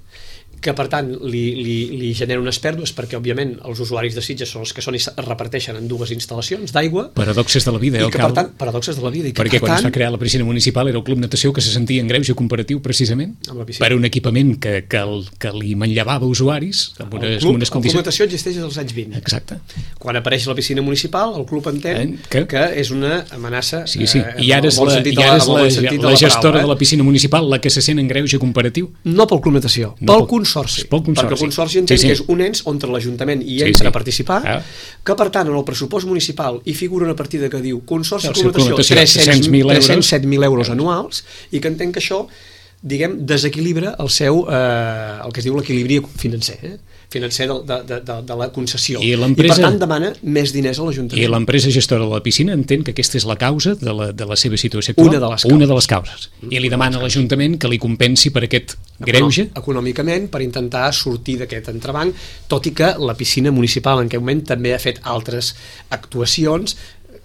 C: que per tant li, li, li genera unes pèrdues perquè òbviament els usuaris de Sitges són els que són i es reparteixen en dues instal·lacions d'aigua.
B: Paradoxes de la vida, eh,
C: i que, per tant, paradoxes de la vida. I que,
B: perquè
C: per
B: quan
C: tant,
B: es va crear la piscina municipal era el Club Natació que se sentia en greuge comparatiu precisament per un equipament que, que, el, que li manllevava usuaris amb unes,
C: el club,
B: unes condicions.
C: El Club Natació existeix als anys vint.
B: Exacte.
C: Quan apareix la piscina municipal, el club entén eh, que? que és una amenaça.
B: Sí, sí. I ara és la, i ara és la, la, la gestora de la piscina municipal la que se sent en greuge comparatiu?
C: No pel Club Natació,
B: no,
C: pel consorci.
B: Pel consorci.
C: Perquè el consorci entén sí, sí. que és un ens on l'Ajuntament hi entra sí, sí. a participar, ah. que per tant en el pressupost municipal hi figura una partida que diu Consorci de Club Natació tres-cents set mil euros anuals i que entenc que això diguem, desequilibra el seu, eh, el que es diu l'equilibri financer, eh? financer de, de, de, de la concessió. I, I per tant demana més diners a l'Ajuntament.
B: I l'empresa gestora de la piscina entén que aquesta és la causa de la, de la seva situació actual?
C: Una de les causes.
B: Una de les causes. I li demana a l'Ajuntament que li compensi per aquest greuge?
C: Econòmicament, per intentar sortir d'aquest entrebanc, tot i que la piscina municipal en aquest moment també ha fet altres actuacions,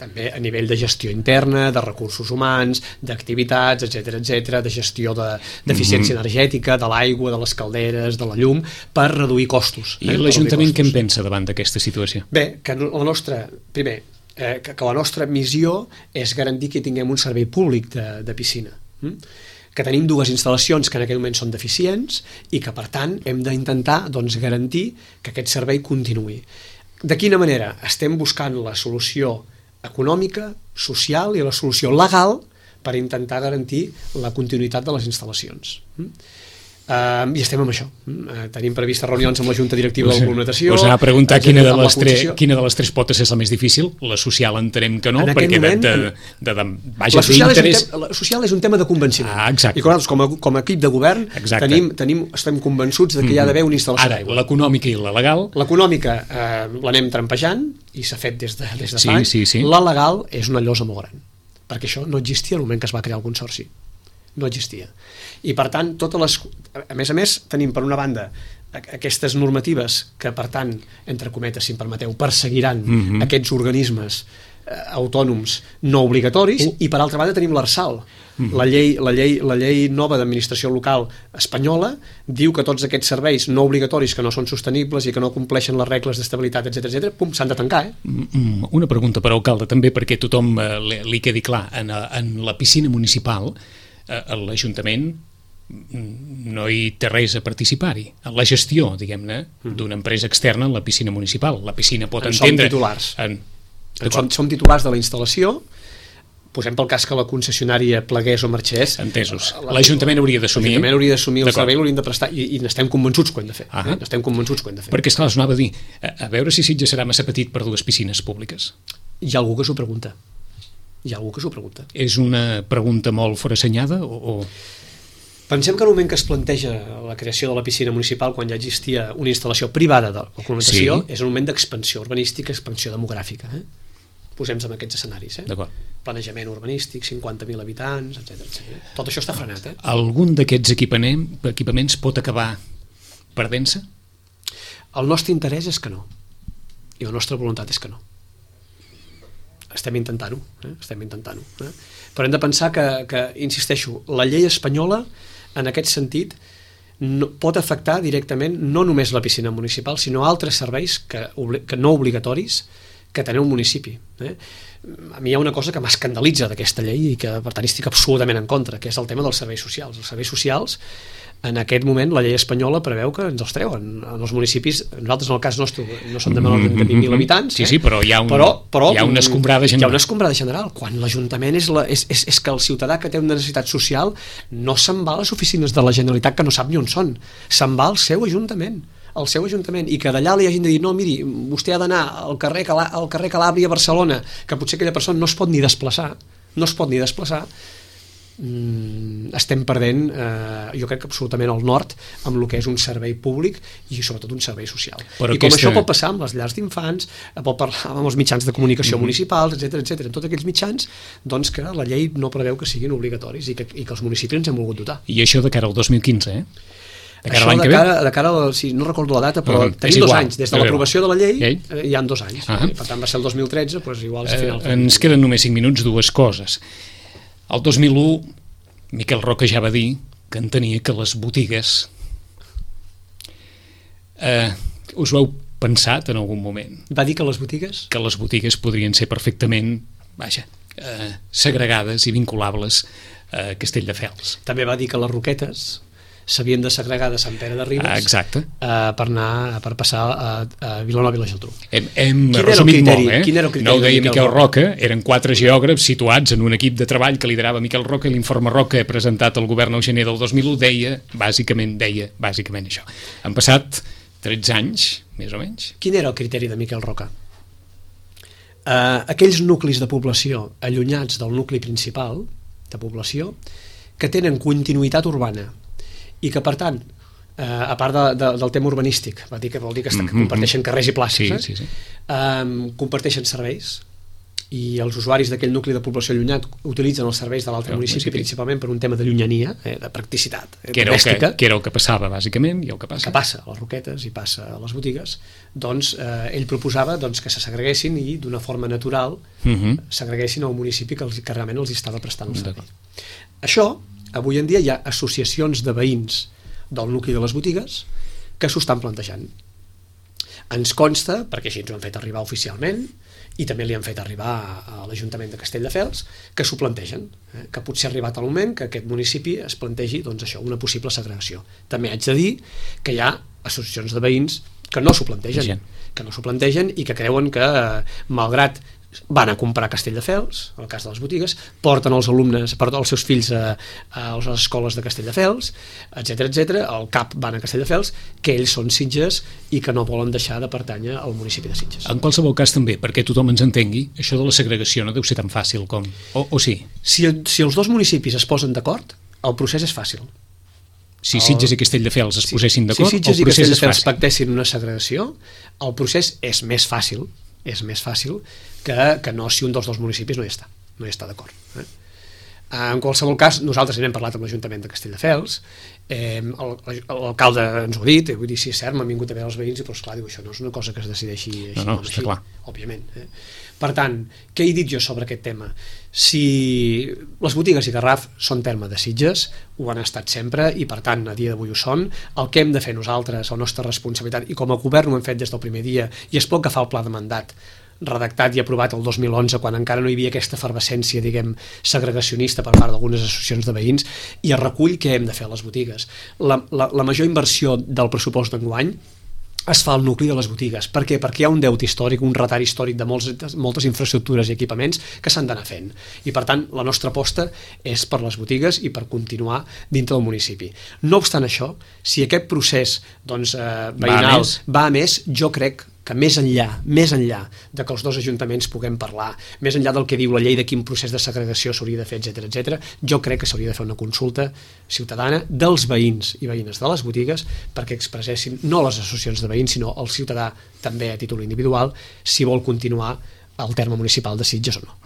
C: també a nivell de gestió interna, de recursos humans, d'activitats, etcètera, etcètera, de gestió d'eficiència de, energètica, de l'aigua, de les calderes, de la llum, per reduir costos.
B: I eh? l'Ajuntament què en pensa davant d'aquesta situació?
C: Bé, que la nostra, primer, eh, que, que la nostra missió és garantir que tinguem un servei públic de, de piscina. Mm? Que tenim dues instal·lacions que en aquell moment són deficients i que, per tant, hem d'intentar doncs, garantir que aquest servei continuï. De quina manera? Estem buscant la solució econòmica, social i la solució legal per intentar garantir la continuïtat de les instal·lacions. Uh, I estem amb això. Uh, tenim previstes reunions amb la Junta Directiva de la Comunicació.
B: Us anava a preguntar quina de, les tres, quina de les tres potes és la més difícil. La social entenem que no, perquè
C: moment,
B: de, de, de, de, vaja,
C: la, social és tema, la social és un tema de convenciment.
B: Ah, exacte.
C: I nosaltres, com a, com a equip de govern, tenim, tenim, estem convençuts de que mm. hi ha d'haver una instal·lació d'aigua.
B: Ara, l'econòmica i la legal?
C: L'econòmica eh, l'anem trampejant i s'ha fet des de, des de
B: sí,
C: fa anys.
B: Sí, sí.
C: La legal és una llosa molt gran, perquè això no existia al moment que es va crear el Consorci. No existia. I per tant, totes les, a més a més, tenim per una banda aquestes normatives que, per tant, entre cometes, si em permeteu, perseguiran mm-hmm. aquests organismes eh, autònoms no obligatoris, uh. i per altra banda tenim l'Arsal. Mm-hmm. La llei, la llei, la llei nova d'administració local espanyola diu que tots aquests serveis no obligatoris que no són sostenibles i que no compleixen les regles d'estabilitat, etcètera, etcètera, pum, s'han de tancar. Eh?
B: Una pregunta per alcalde, també perquè tothom eh, li, li quedi clar, en, en la piscina municipal l'Ajuntament no hi té res a participar-hi. En la gestió, diguem-ne, d'una empresa externa en la piscina municipal. La piscina pot en entendre...
C: Som titulars.
B: En...
C: Som, som titulars de la instal·lació. Posem pel cas que la concessionària plegués o marxés.
B: Entesos. L'Ajuntament hauria d'assumir...
C: L'Ajuntament hauria d'assumir el servei, l'haurien de prestar, i, i n'estem convençuts que ho hem de fer. Eh? N'estem convençuts que ho hem de fer.
B: Perquè, esclar, us anava a dir, a, a veure si Sitges serà massa petit per dues piscines públiques.
C: Hi ha algú que s'ho pregunta. Hi ha algú que s'ho pregunta.
B: És una pregunta molt forassenyada o, o...
C: Pensem que en el moment que es planteja la creació de la piscina municipal, quan ja existia una instal·lació privada de la complementació, sí. És un moment d'expansió urbanística, expansió demogràfica. Eh? Posem-nos en aquests escenaris. Eh? Planejament urbanístic, cinquanta mil habitants, etcètera, etcètera. Tot això està frenat. Eh?
B: Algun d'aquests equipaments pot acabar perdent-se?
C: El nostre interès és que no. I la nostra voluntat és que no. Estem intentant-ho, eh? estem intentant-ho. Eh? Però hem de pensar que, que, insisteixo, la llei espanyola, en aquest sentit, no, pot afectar directament no només la piscina municipal, sinó altres serveis que, que no obligatoris que té un municipi. Eh? A mi hi ha una cosa que m'escandalitza d'aquesta llei i que, per tant, estic absolutament en contra, que és el tema dels serveis socials. Els serveis socials, en aquest moment, la llei espanyola preveu que ens els treuen. En els municipis, nosaltres en el cas nostre no som de menys de vint mil habitants,
B: sí, sí, però hi ha, un,
C: però, però,
B: hi ha una escombrada general.
C: Hi ha una escombrada general. Quan l'Ajuntament és, la, és, és, és que el ciutadà que té una necessitat social no se'n va a les oficines de la Generalitat que no sap ni on són. Se'n va al seu Ajuntament. al seu Ajuntament, i que d'allà li hagin de dir no, miri, vostè ha d'anar al carrer, Calà, al carrer Calàbria a Barcelona, que potser aquella persona no es pot ni desplaçar, no es pot ni desplaçar, mm, estem perdent, eh, jo crec que absolutament el nord amb el que és un servei públic i sobretot un servei social. Però I com aquesta... això pot passar amb les llars d'infants, pot parlar amb els mitjans de comunicació mm-hmm. municipals, etcètera, etcètera, en tots aquells mitjans, doncs que la llei no preveu que siguin obligatoris i que, i que els municipis ens hem volgut dotar.
B: I això de cara al dos mil quinze, eh?
C: De cara Això de cara, de cara al, si no recordo la data, però uh, tenim dos anys, des de l'aprovació de la llei eh, hi ha dos anys, uh -huh. per tant va ser el dos mil tretze, doncs igual és a final.
B: Eh, ens queden només cinc minuts, dues coses. El dos mil u Miquel Roca ja va dir que entenia que les botigues eh, us ho heu pensat en algun moment?
C: Va dir que les botigues?
B: Que les botigues podrien ser perfectament, vaja, eh, segregades i vinculables a Castelldefels.
C: També va dir que les Roquetes s'havien de segregar de Sant Pere de Ribes
B: ah, exacte.
C: Eh, per anar per passar a, a Vilanova i la Geltrú.
B: Hem, hem resumit molt, eh? No ho deia Miquel, Miquel Roca, eren quatre geògrafs situats en un equip de treball que liderava Miquel Roca, i l'informe Roca presentat al govern el gener del dos mil u deia, bàsicament, deia bàsicament això. Han passat tretze anys, més o menys.
C: Quin era el criteri de Miquel Roca? Uh, aquells nuclis de població allunyats del nucli principal de població, que tenen continuïtat urbana i que, per tant, eh, a part de, de, del tema urbanístic, va dir que vol dir que, mm -hmm. que comparteixen carrers i places,
B: sí,
C: eh?
B: sí, sí.
C: Eh, comparteixen serveis, i els usuaris d'aquell nucli de població allunyat utilitzen els serveis de l'altre municipi, municipi principalment per un tema de llunyania, eh, de practicitat, eh,
B: que, era que, que era el que passava bàsicament, i el que passa.
C: que passa a les Roquetes i passa a les botigues. Doncs eh, ell proposava doncs, que se segreguessin i d'una forma natural uh -huh. segreguessin el municipi que, els, que realment els estava prestant el servei. Això, avui en dia hi ha associacions de veïns del nucli de les botigues que s'ho estan plantejant. Ens consta, perquè així ens ho han fet arribar oficialment, i també li han fet arribar a l'Ajuntament de Castelldefels, que s'ho plantegen, eh? que potser ha arribat el moment que aquest municipi es plantegi doncs, això, una possible segregació. També haig de dir que hi ha associacions de veïns que no s'ho plantegen, sí. que no s'ho plantegen i que creuen que, malgrat van a comprar a Castelldefels, en el cas de les botigues, porten els alumnes, porten els seus fills a, a les escoles de Castelldefels, etcètera, etcètera, al C A P van a Castelldefels, que ells són Sitges i que no volen deixar de pertànyer al municipi de Sitges.
B: En qualsevol cas també, perquè tothom ens entengui, això de la segregació no deu ser tan fàcil com... O, o sí?
C: Si, si els dos municipis es posen d'acord, el procés és fàcil.
B: Si Sitges i Castelldefels es posessin d'acord,
C: si Sitges
B: el procés
C: i Castelldefels
B: és fàcil.
C: pactessin una segregació, el procés és més fàcil, és més fàcil que, que no si un dels dos municipis no hi està, no hi està d'acord. Eh? En qualsevol cas, nosaltres n'hem parlat amb l'Ajuntament de Castelldefels, eh, l'alcalde ens ho ha dit, vull dir, si és cert, m'han vingut a veure els veïns i, però esclar, diu, això no és una cosa que es decideixi així,
B: no, no,
C: no,
B: està
C: així,
B: clar.
C: òbviament. Eh? Per tant, què he dit jo sobre aquest tema? Si les botigues i Garraf són terme de Sitges, ho han estat sempre i, per tant, a dia d'avui ho són, el que hem de fer nosaltres, la nostra responsabilitat, i com a govern ho hem fet des del primer dia, i es pot agafar el pla de mandat redactat i aprovat el dos mil onze, quan encara no hi havia aquesta efervescència, diguem, segregacionista per part d'algunes associacions de veïns, i es recull què hem de fer a les botigues. La, la, la major inversió del pressupost d'enguany es fa al nucli de les botigues. Per què? Perquè hi ha un deute històric, un retard històric de molts, moltes infraestructures i equipaments que s'han d'anar fent. I, per tant, la nostra aposta és per les botigues i per continuar dintre del municipi. No obstant això, si aquest procés doncs, eh, veïnal va a més, jo crec que més enllà, més enllà de que els dos ajuntaments puguem parlar, més enllà del que diu la llei de quin procés de segregació s'hauria de fer, etcètera, etcètera, jo crec que s'hauria de fer una consulta ciutadana dels veïns i veïnes de les botigues perquè expressessin, no les associacions de veïns, sinó el ciutadà també a títol individual, si vol continuar al terme municipal de Sitges o no.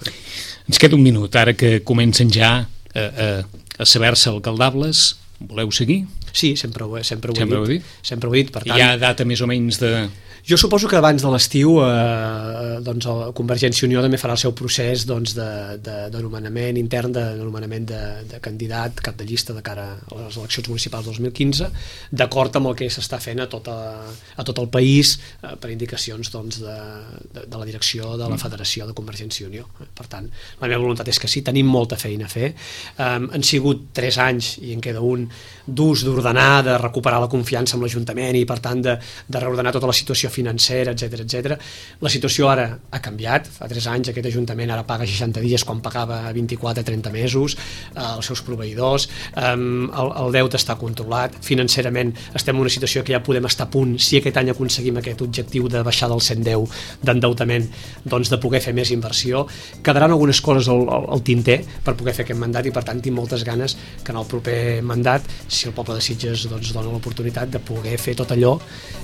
B: Ens queda un minut, ara que comencen ja a, a, a saber-se alcaldables. Voleu seguir?
C: Sí, sempre ho, sempre ho,
B: sempre
C: he, dit.
B: ho he dit.
C: Sempre ho he dit. Per tant,
B: hi ha data més o menys de...
C: Jo suposo que abans de l'estiu eh, doncs el Convergència i Unió també farà el seu procés doncs, de, de, de nomenament intern, de nomenament de, de candidat, cap de llista de cara a les eleccions municipals dos mil quinze, d'acord amb el que s'està fent a tot, a, a tot el país eh, per indicacions doncs, de, de, de la direcció de la Federació de Convergència i Unió. Per tant, la meva voluntat és que sí, tenim molta feina a fer. Eh, han sigut tres anys, i en queda un, durs d'ordenar, de recuperar la confiança amb l'Ajuntament i, per tant, de, de reordenar tota la situació financera, etcètera, etcètera. La situació ara ha canviat. Fa tres anys aquest Ajuntament ara paga seixanta dies quan pagava vint-i-quatre a trenta mesos eh, els seus proveïdors. Eh, el, el deute està controlat. Financerament estem en una situació que ja podem estar a punt, si aquest any aconseguim aquest objectiu de baixar del cent deu d'endeutament, doncs de poder fer més inversió. Quedaran algunes coses al, al, al tinter per poder fer aquest mandat i, per tant, tinc moltes ganes que en el proper mandat, si el poble de Sitges doncs, dona l'oportunitat de poder fer tot allò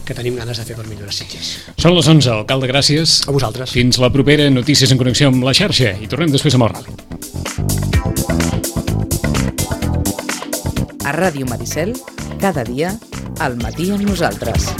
C: que tenim ganes de fer per millorar Sitges.
B: Són les onze, alcalde, gràcies.
C: A vosaltres.
B: Fins la propera Notícies en Connexió amb la xarxa i tornem després a Mort Ràdio.
A: A Ràdio Maricel, cada dia, al matí amb nosaltres.